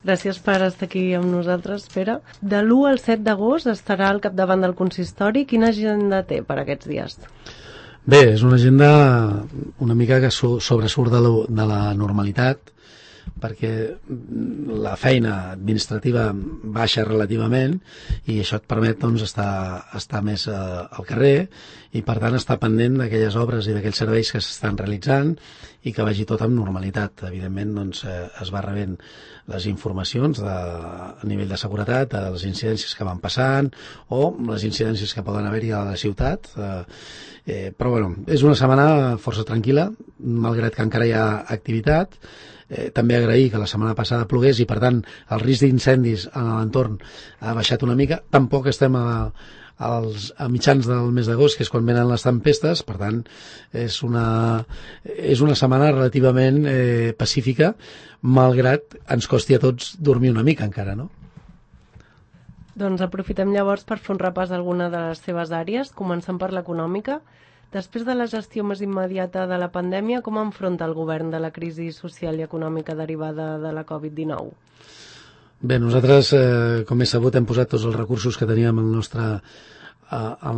Gràcies per estar aquí amb nosaltres, Pere. De l'1 al 7 d'agost estarà al capdavant del consistori. Quina agenda té per aquests dies? Bé, és una agenda una mica que sobresurt de la normalitat, perquè la feina administrativa baixa relativament i això et permet estar més al carrer i per tant estar pendent d'aquelles obres i d'aquells serveis que s'estan realitzant i que vagi tot amb normalitat. Evidentment es va rebent les informacions a nivell de seguretat de les incidències que van passant o les incidències que poden haver-hi a la ciutat, però bueno, és una setmana força tranquil·la, malgrat que encara hi ha activitat. També agrair que la setmana passada plogués i per tant el risc d'incendis en l'entorn ha baixat una mica. Tampoc estem a mitjans del mes d'agost, que és quan venen les tempestes, per tant és una setmana relativament pacífica, malgrat ens costi a tots dormir una mica encara, no? Doncs aprofitem llavors per fer un repàs d'alguna de les seves àrees, començant per l'econòmica. Després de la gestió més immediata de la pandèmia, com enfronta el govern de la crisi social i econòmica derivada de la Covid-19? Bé, nosaltres, com és sabut, hem posat tots els recursos que teníem al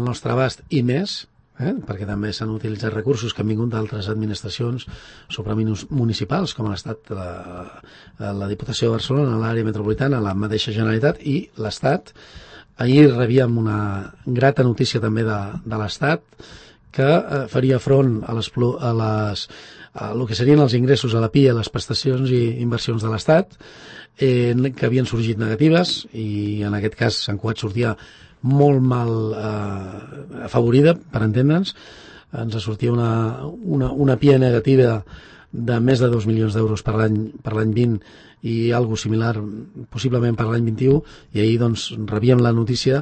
nostre abast i més, perquè també s'han utilitzat recursos que han vingut d'altres administracions supramunicipals, com ha estat la Diputació de Barcelona, l'àrea metropolitana, la mateixa Generalitat i l'Estat. Ahir rebíem una grata notícia també de l'Estat, que faria front a el que serien els ingressos a la PIA, a les prestacions i inversions de l'Estat, que havien sorgit negatives i en aquest cas Sant Cugat sortia molt mal afavorida, per entendre'ns. Ens sortia una PIA negativa de més de 2 milions d'euros per l'any 20 i algo similar possiblement per l'any 21, i ahir doncs rebíem la notícia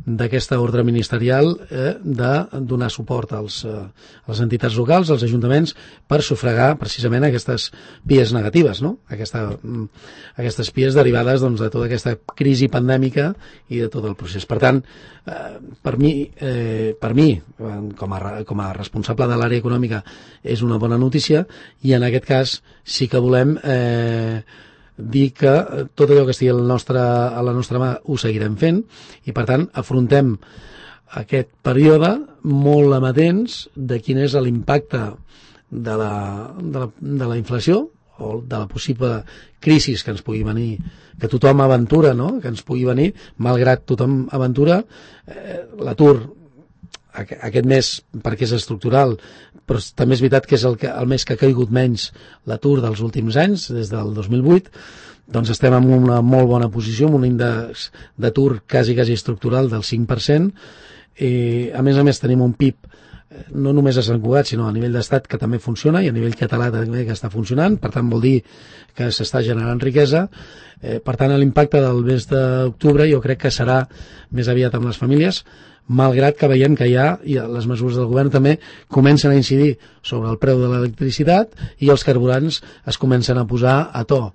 d'aquesta ordre ministerial de donar suport a les entitats locals, als ajuntaments, per sufragar precisament aquestes pies negatives, no? Aquestes pies derivades de tota aquesta crisi pandèmica i de tot el procés. Per tant, per mi com a responsable de l'àrea econòmica, és una bona notícia, i en aquest cas sí que volem dir que tot allò que estigui a la nostra mà ho seguirem fent, i per tant afrontem aquest període molt amatents de quin és l'impacte de la inflació o de la possible crisi que ens pugui venir, que tothom aventura, no? Que ens pugui venir, malgrat tothom aventura. L'atur aquest mes, perquè és estructural, però també és veritat que és el mes que ha caigut menys l'atur dels últims anys, des del 2008, doncs estem en una molt bona posició, amb un índex d'atur quasi estructural del 5%, i a més tenim un PIB no només a Sant Cugat, sinó a nivell d'estat, que també funciona, i a nivell català també que està funcionant, per tant vol dir que s'està generant riquesa. Per tant, l'impacte del mes d'octubre jo crec que serà més aviat amb les famílies, malgrat que veiem que ja les mesures del govern també comencen a incidir sobre el preu de l'electricitat i els carburants es comencen a posar a to.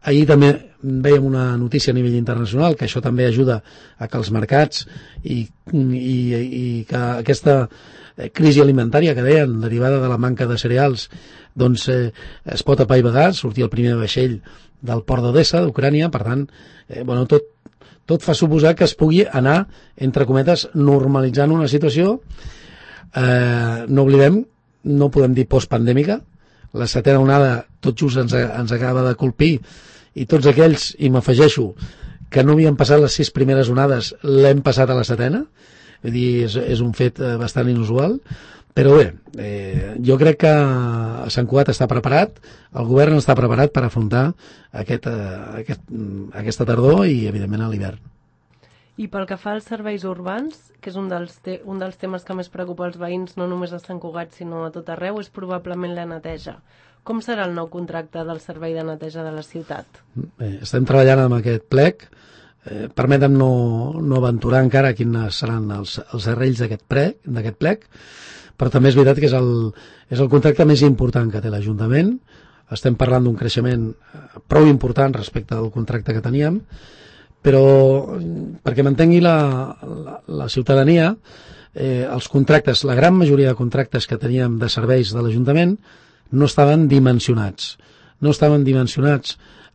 Ahir també veiem una notícia a nivell internacional, que això també ajuda a que els mercats i que aquesta crisi alimentària que deien, derivada de la manca de cereals, doncs es pot apaivagar. Sortia el primer vaixell del port d'Odessa, d'Ucrània, per tant, tot fa suposar que es pugui anar, entre cometes, normalitzant una situació. No oblidem, no podem dir postpandèmica, la setena onada tot just ens acaba de colpir, i tots aquells, i m'afegeixo, que no havien passat les 6 primeres onades, l'hem passat a la setena. Vull dir, és un fet bastant inusual, però bé, jo crec que Sant Cugat està preparat, el govern està preparat per afrontar aquesta tardor i evidentment a l'hivern. I pel que fa als serveis urbans, que és un dels temes que més preocupa els veïns, no només a Sant Cugat sinó a tot arreu, és probablement la neteja. Com serà el nou contracte del servei de neteja de la ciutat? Bé, estem treballant amb aquest plec. Permetem no aventurar encara quins seran els arrells d'aquest plec, però també és veritat que és el contracte més important que té l'Ajuntament. Estem parlant d'un creixement prou important respecte al contracte que teníem, però perquè m'entengui la ciutadania, els contractes, la gran majoria de contractes que teníem de serveis de l'Ajuntament no estaven dimensionats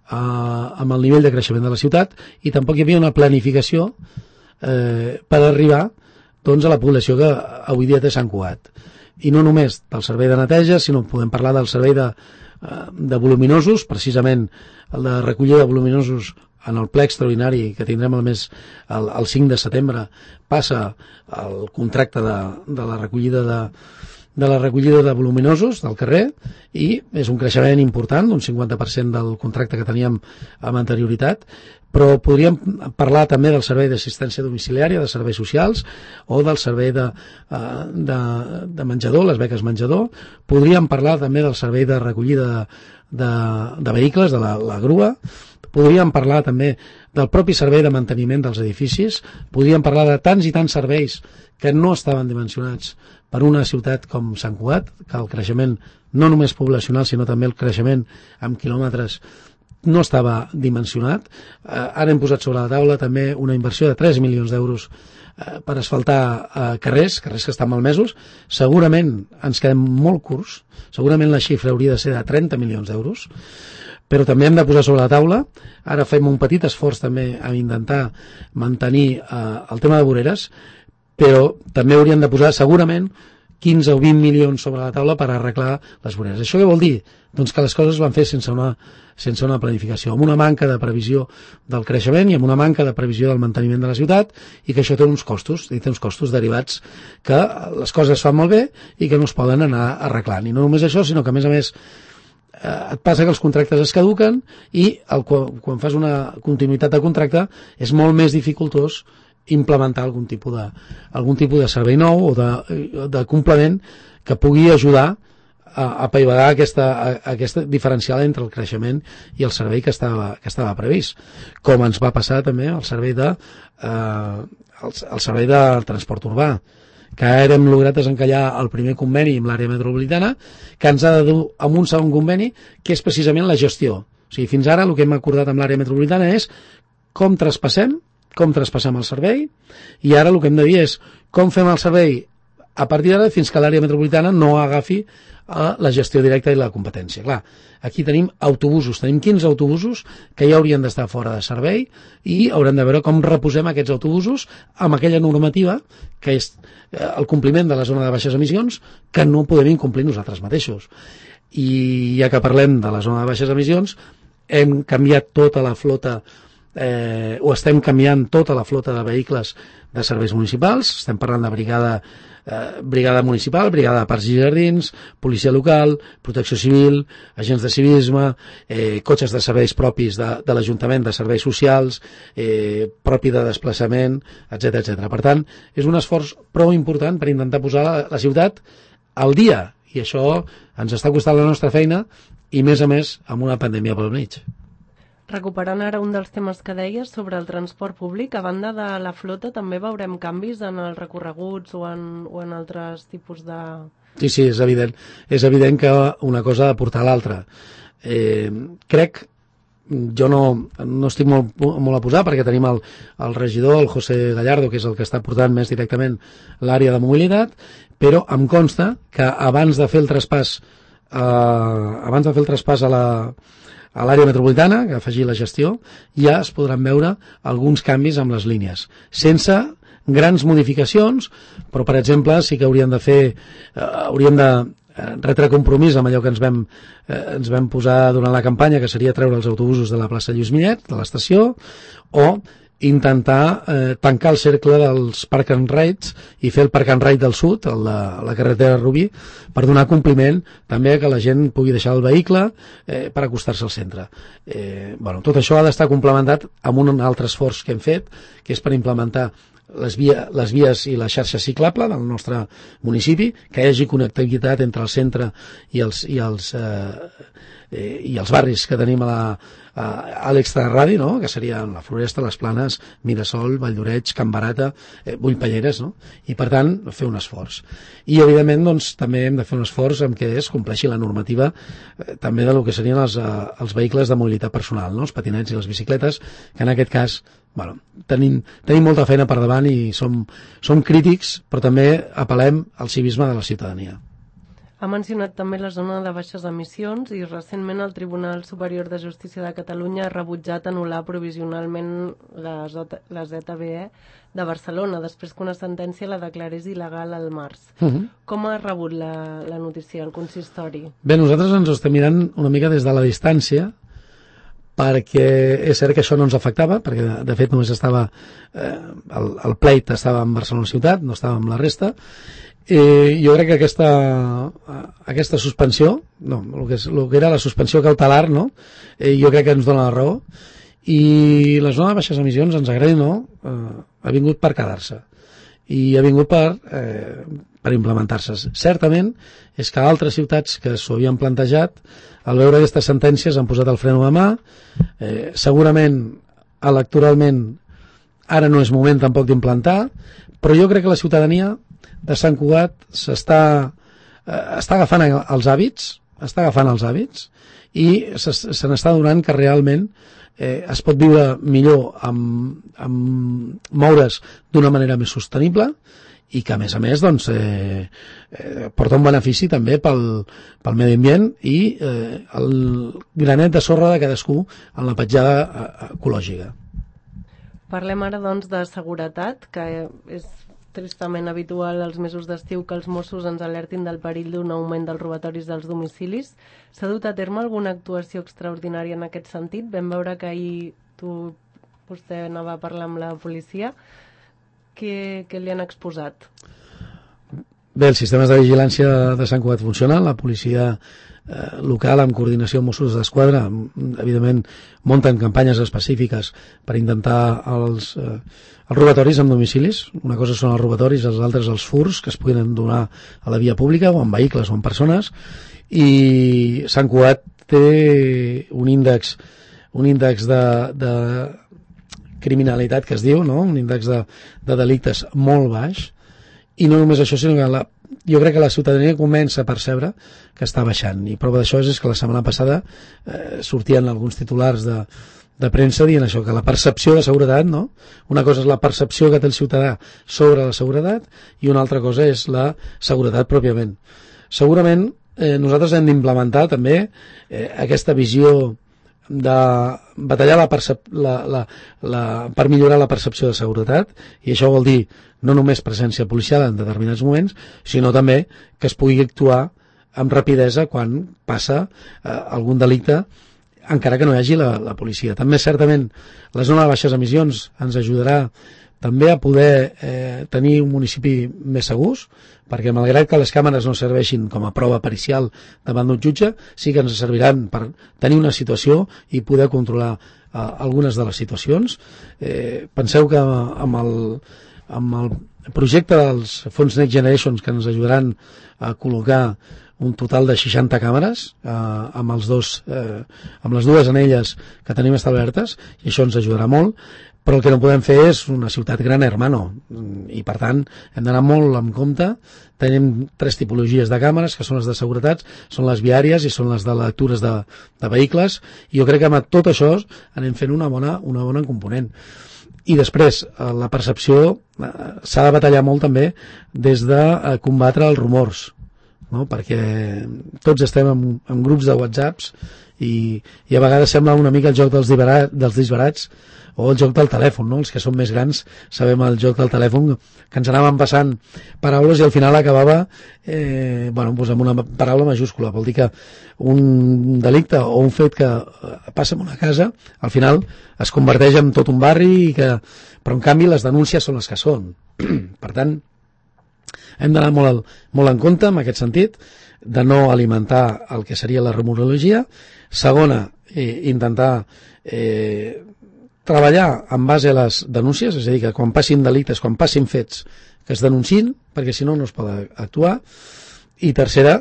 amb el nivell de creixement de la ciutat, i tampoc hi havia una planificació per arribar doncs, a la població que avui dia té Sant Cugat. I no només del servei de neteja, sinó podem parlar del servei de voluminosos, precisament el de recollida de voluminosos en el ple extraordinari que tindrem el 5 de setembre passa el contracte de la recollida de voluminosos del carrer, i és un creixement important, un 50% del contracte que teníem amb anterioritat. Però podríem parlar també del servei d'assistència domiciliària, de serveis socials, o del servei de menjador, les beques menjador. Podríem parlar també del servei de recollida de vehicles, de la grua. Podríem parlar també del propi servei de manteniment dels edificis. Podríem parlar de tants i tants serveis que no estaven dimensionats per una ciutat com Sant Cugat, que el creixement no només poblacional, sinó també el creixement amb quilòmetres no estava dimensionat. Ara hem posat sobre la taula també una inversió de 3 milions d'euros per asfaltar carrers que estan malmesos. Segurament ens quedem molt curts, segurament la xifra hauria de ser de 30 milions d'euros, però també hem de posar sobre la taula, ara fem un petit esforç també a intentar mantenir el tema de voreres, però també hauríem de posar segurament 15 o 20 milions sobre la taula per arreglar les voreres. Això què vol dir? Doncs que les coses es van fer sense una planificació, amb una manca de previsió del creixement i amb una manca de previsió del manteniment de la ciutat, i que això té uns costos, derivats que les coses es fan molt bé i que no es poden anar arreglant. I no només això, sinó que a més et passa que els contractes es caduquen i quan fas una continuïtat de contracte és molt més dificultós implementar algun tipus de servei nou o de complement que pugui ajudar a apaivagar aquesta diferencial entre el creixement i el servei que estava previst, com ens va passar també el servei de transport urbà, que ara hem lograt desencallar el primer conveni amb l'àrea metropolitana, que ens ha de dur amb un segon conveni, que és precisament la gestió. O sigui, fins ara el que hem acordat amb l'àrea metropolitana és com traspassem el servei, i ara el que hem de dir és com fem el servei a partir d'ara fins que l'àrea metropolitana no agafi la gestió directa i la competència. Clar, aquí tenim autobusos, tenim 15 autobusos que ja haurien d'estar fora de servei, i haurem de veure com reposem aquests autobusos amb aquella normativa que és el compliment de la zona de baixes emissions, que no podem incomplir nosaltres mateixos. I ja que parlem de la zona de baixes emissions, hem canviat tota la flota o estem canviant tota la flota de vehicles de serveis municipals. Estem parlant de brigada municipal, brigada de parcs i jardins, policia local, protecció civil, agents de civisme, cotxes de serveis propis de l'Ajuntament, de serveis socials, propi de desplaçament, etc. Per tant, és un esforç prou important per intentar posar la ciutat al dia, i això ens està costant la nostra feina, i més a més amb una pandèmia pel mig. Recuperant ara un dels temes que deies sobre el transport públic, a banda de la flota també veurem canvis en els recorreguts o en altres tipus de... Sí, és evident. És evident que una cosa ha de portar a l'altra. Crec, jo no estic molt a posar, perquè tenim el regidor, el José Gallardo, que és el que està portant més directament l'àrea de mobilitat, però em consta que abans de fer el traspàs a l'àrea metropolitana, que afegir la gestió, ja es podran veure alguns canvis amb les línies, sense grans modificacions, però per exemple sí que hauríem de retre compromís amb allò que ens vam posar durant la campanya, que seria treure els autobusos de la plaça Lluís Millet, de l'estació, o intentar tancar el cercle dels park and rides i fer el park and ride del sud, la carretera Rubí, per donar compliment també que la gent pugui deixar el vehicle per acostar-se al centre. Tot això ha d'estar complementat amb un altre esforç que hem fet, que és per implementar les vies i la xarxa ciclable del nostre municipi, que hi hagi connectivitat entre el centre i els barris que tenim a l'extraradi, no? Que serien la Floresta, les Planes, Mirasol, Valldoreix, Can Barata, Bullpalleres, no? I per tant fer un esforç. I evidentment doncs, també hem de fer un esforç en què es compleixi la normativa també del que serien els vehicles de mobilitat personal, no? Els patinets i les bicicletes, que en aquest cas tenim molta feina per davant i som crítics, però també apel·lem al civisme de la ciutadania. Ha mencionat també la zona de baixes emissions i recentment el Tribunal Superior de Justícia de Catalunya ha rebutjat anul·lar provisionalment la ZBE de Barcelona, després que una sentència la declarés il·legal al març. Com ha rebut la notícia el consistori? Bé, nosaltres ens ho estem mirant una mica des de la distància, perquè és cert que això no ens afectava, perquè de fet només estava el pleit estava en Barcelona ciutat, no estava amb la resta. Jo crec que aquesta suspensió, el que era la suspensió cautelar, no? Jo crec que ens dona la raó, i la zona de baixes emissions, ens agradi o no, ha vingut per quedar-se i ha vingut per implementar-se. Certament és que altres ciutats que s'ho havien plantejat, al veure aquestes sentències han posat el freno de mà. Segurament electoralment ara no és moment tampoc d'implantar, però jo crec que la ciutadania de Sant Cugat està agafant els hàbits, i se n'està donant que realment es pot viure millor amb moure's d'una manera més sostenible, i que a més doncs, porta un benefici també pel medi ambient i el granet de sorra de cadascú en la petjada ecològica. Parlem ara doncs de seguretat, que és tristament habitual als mesos d'estiu que els Mossos ens alertin del perill d'un augment dels robatoris dels domicilis. S'ha dut a terme alguna actuació extraordinària en aquest sentit? Vam veure que ahir vostè anava a parlar amb la policia. Què li han exposat? Bé, els sistemes de vigilància de Sant Cugat funcionen, la policia local, amb coordinació amb Mossos d'Esquadra, evidentment munten campanyes específiques per intentar els robatoris en domicilis. Una cosa són els robatoris, els altres els furs que es puguin donar a la via pública o en vehicles o en persones, i Sant Cugat té un índex de criminalitat que es diu, no? Un índex de delictes molt baix, i no només això, sinó que jo crec que la ciutadania comença a percebre que està baixant, i prova d'això és que la setmana passada sortien alguns titulars de premsa dient això, que la percepció de seguretat, no? Una cosa és la percepció que té el ciutadà sobre la seguretat i una altra cosa és la seguretat pròpiament. Segurament nosaltres hem d'implementar també aquesta visió de batallar per millorar la percepció de seguretat, i això vol dir no només presència policial en determinats moments, sinó també que es pugui actuar amb rapidesa quan passa algun delicte, encara que no hi hagi la policia. També certament la zona de baixes emissions ens ajudarà també a poder tenir un municipi més segurs, perquè malgrat que les càmeres no serveixin com a prova pericial davant d'un jutge, sí que ens serviran per tenir una situació i poder controlar algunes de les situacions. Penseu que amb el projecte dels fons Next Generation, que ens ajudaran a col·locar un total de 60 càmeres amb les dues anelles que tenim establertes, i això ens ajudarà molt, però el que no podem fer és una ciutat gran hermano, i per tant hem d'anar molt en compte. Tenim 3 tipologies de càmeres, que són les de seguretat, són les viàries i són les de lectures de vehicles, i jo crec que amb tot això anem fent una bona component. I després, la percepció s'ha de batallar molt també des de combatre els rumors, no? Perquè tots estem en grups de whatsapps i a vegades sembla una mica el joc dels disbarats o el joc del telèfon, no? Els que som més grans sabem el joc del telèfon, que ens anàvem passant paraules i al final acabava amb una paraula majúscula. Vol dir que un delicte o un fet que passa en una casa al final es converteix en tot un barri, però en canvi les denúncies són les que són. Per tant, hem d'anar molt en compte en aquest sentit, de no alimentar el que seria la rumorologia. Segona, intentar treballar en base a les denúncies, és a dir, que quan passin delictes, quan passin fets, que es denunciïn, perquè si no es pot actuar. I tercera,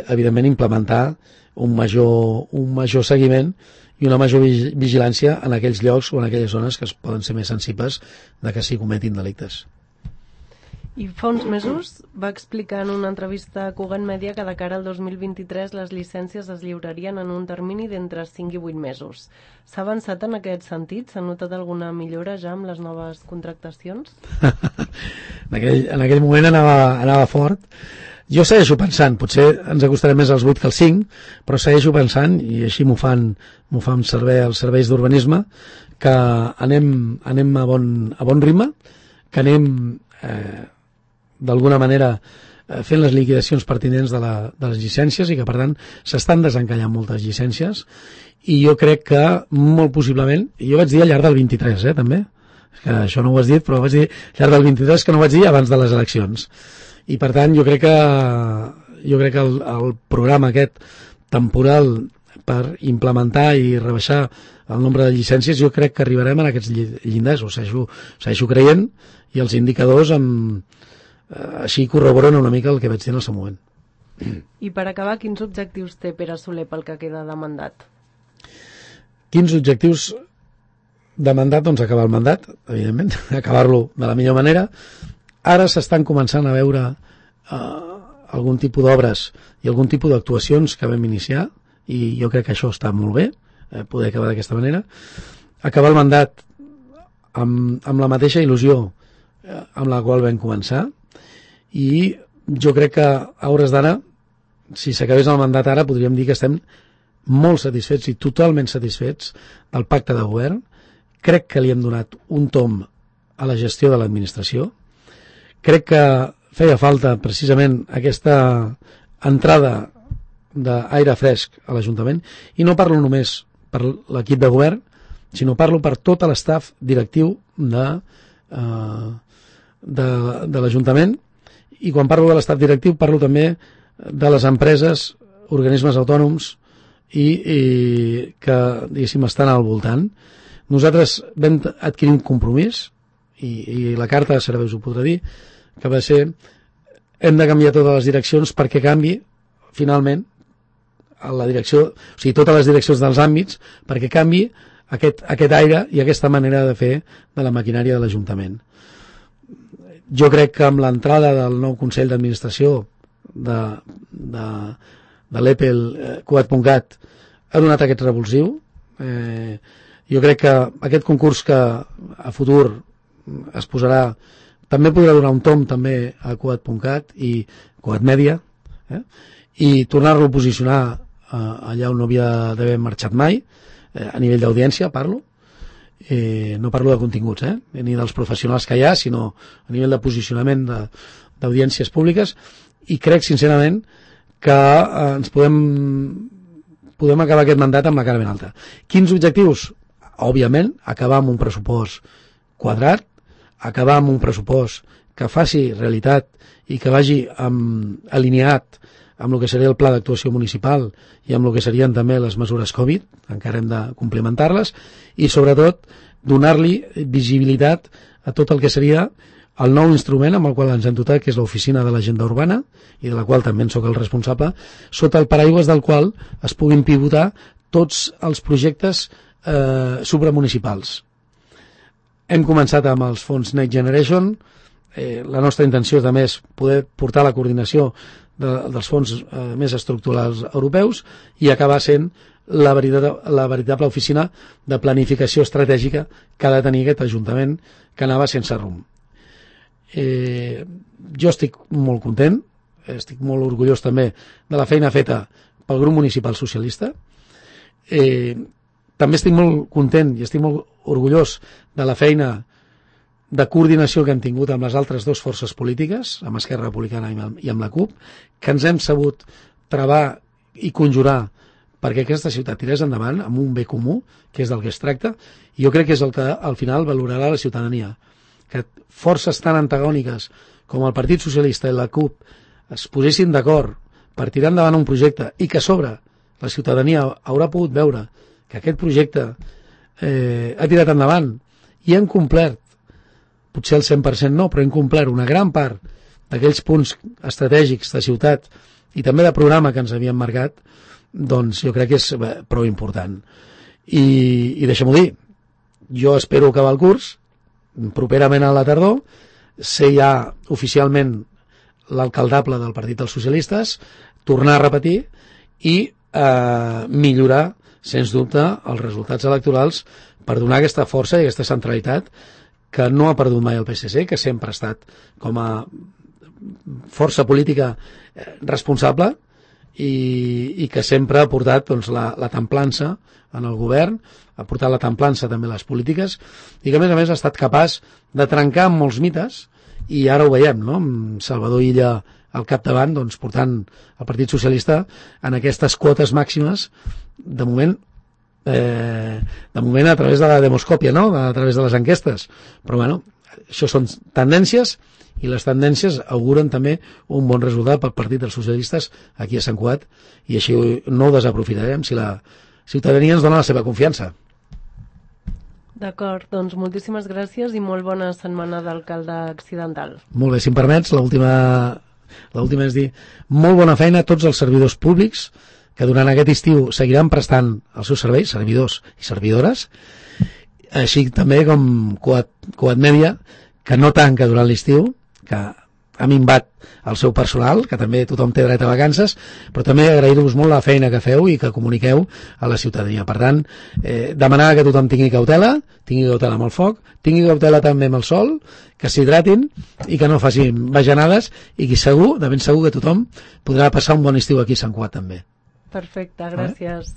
evidentment, implementar un major seguiment i una major vigilància en aquells llocs o en aquelles zones que poden ser més sensibles de que s'hi cometin delictes. I fa uns mesos va explicar en una entrevista a Cugat Media que de cara al 2023 les llicències es lliurarien en un termini d'entre 5 i 8 mesos. S'ha avançat en aquest sentit? S'ha notat alguna millora ja amb les noves contractacions? En aquell moment anava fort. Jo segueixo pensant, potser ens acostarem més als 8 que als 5, però segueixo pensant, i així m'ho fan servir els serveis d'urbanisme, que anem a bon ritme, que anem d'alguna manera fent les liquidacions pertinents de les llicències i que, per tant, s'estan desencallant moltes llicències, i jo crec que molt possiblement, i jo vaig dir al llarg del 23, també, que això no ho has dit, però vaig dir al llarg del 23, que no ho vaig dir abans de les eleccions. I per tant jo crec que el programa aquest temporal per implementar i rebaixar el nombre de llicències, jo crec que arribarem a aquests llindars, ho segueixo creient, i els indicadors així corroboren una mica el que vaig dir en el seu moment. I per acabar, quins objectius té Pere Soler pel que queda de mandat? Quins objectius de mandat? Doncs acabar el mandat, evidentment, acabar-lo de la millor manera. Ara s'estan començant a veure algun tipus d'obres i algun tipus d'actuacions que vam iniciar, i jo crec que això està molt bé, poder acabar d'aquesta manera. Acabar el mandat amb la mateixa il·lusió amb la qual vam començar, i jo crec que a hores d'ara, si s'acabés el mandat ara, podríem dir que estem molt satisfets i totalment satisfets del pacte de govern. Crec que li hem donat un tomb a la gestió de l'administració. Crec que feia falta precisament aquesta entrada d'aire fresc a l'Ajuntament, i no parlo només per l'equip de govern, sinó parlo per tot l'estaf directiu de l'Ajuntament, i quan parlo de l'estaf directiu parlo també de les empreses, organismes autònoms i que, diguéssim, estan al voltant. Nosaltres vam adquirir un compromís, i la carta de serveis ho podrà dir, que va ser: hem de canviar totes les direccions perquè canvi finalment la direcció, o sigui, totes les direccions dels àmbits, perquè canvi aquest aire i aquesta manera de fer de la maquinària de l'Ajuntament. Jo crec que amb l'entrada del nou Consell d'Administració de l'EPEL Cugat.cat ha donat aquest revulsiu. Jo crec que aquest concurs que a futur es posarà també podrà donar un tomb també a Cugat.cat i Cugat Mèdia, i tornar-lo a posicionar allà on no havia d'haver marxat mai, a nivell d'audiència parlo, no parlo de continguts, ni dels professionals que hi ha, sinó a nivell de posicionament d'audiències públiques, i crec sincerament que ens podem acabar aquest mandat amb la cara ben alta. Quins objectius? Òbviament, acabar amb un pressupost quadrat, acabar amb un pressupost que faci realitat i que vagi alineat amb el que seria el pla d'actuació municipal i amb el que serien també les mesures Covid, encara hem de complementar-les, i sobretot donar-li visibilitat a tot el que seria el nou instrument amb el qual ens hem dotat, que és l'Oficina de l'Agenda Urbana, i de la qual també en soc el responsable, sota el paraigües del qual es puguin pivotar tots els projectes supramunicipals. Hem començat amb els fons Next Generation. La nostra intenció també és poder portar la coordinació dels fons més estructurals europeus i acabar sent la veritable oficina de planificació estratègica que ha de tenir aquest Ajuntament, que anava sense rumb. Jo estic molt content, estic molt orgullós també de la feina feta pel grup municipal socialista. També estic molt content i estic molt orgullós de la feina de coordinació que hem tingut amb les altres dues forces polítiques, amb Esquerra Republicana i amb la CUP, que ens hem sabut travar i conjurar perquè aquesta ciutat tirés endavant amb un bé comú, que és del que es tracta, i jo crec que és el que al final valorarà la ciutadania. Que forces tan antagòniques com el Partit Socialista i la CUP es posessin d'acord per tirar endavant un projecte i que a sobre la ciutadania haurà pogut veure que aquest projecte ha tirat endavant i han complert, potser el 100% no, però hem complert una gran part d'aquells punts estratègics de ciutat i també de programa que ens havien marcat, doncs jo crec que és prou important. I deixem-ho dir, jo espero acabar el curs, properament a la tardor, ser ja oficialment l'alcaldable del Partit dels Socialistes, tornar a repetir i millorar, sens dubte, els resultats electorals per donar aquesta força i aquesta centralitat que no ha perdut mai el PSC, que sempre ha estat com a força política responsable i que sempre ha portat doncs, la templança en el govern, ha portat la templança també a les polítiques i que a més ha estat capaç de trencar amb molts mites i ara ho veiem, no? Amb Salvador Illa al capdavant, doncs, portant el Partit Socialista en aquestes quotes màximes de moment a través de la demoscòpia, no? A través de les enquestes, però bueno, això són tendències i les tendències auguren també un bon resultat pel Partit dels Socialistes aquí a Sant Cugat i així no ho desaprofitarem si la ciutadania ens dona la seva confiança. D'acord, doncs moltíssimes gràcies i molt bona setmana d'alcalde accidental. Molt bé, si em permets, l'última és dir molt bona feina a tots els servidors públics que durant aquest estiu seguiran prestant els seus serveis, servidors i servidores, així també com Cugat Mèdia, que no tanca durant l'estiu, que ha minvat el seu personal, que també tothom té dret a vacances, però també agrair-vos molt la feina que feu i que comuniqueu a la ciutadania. Per tant, demanar que tothom tingui cautela amb el foc, tingui cautela també amb el sol, que s'hidratin i que no facin bajanades i que segur, de ben segur que tothom podrà passar un bon estiu aquí a Sant Cugat també. Perfecte, gràcies.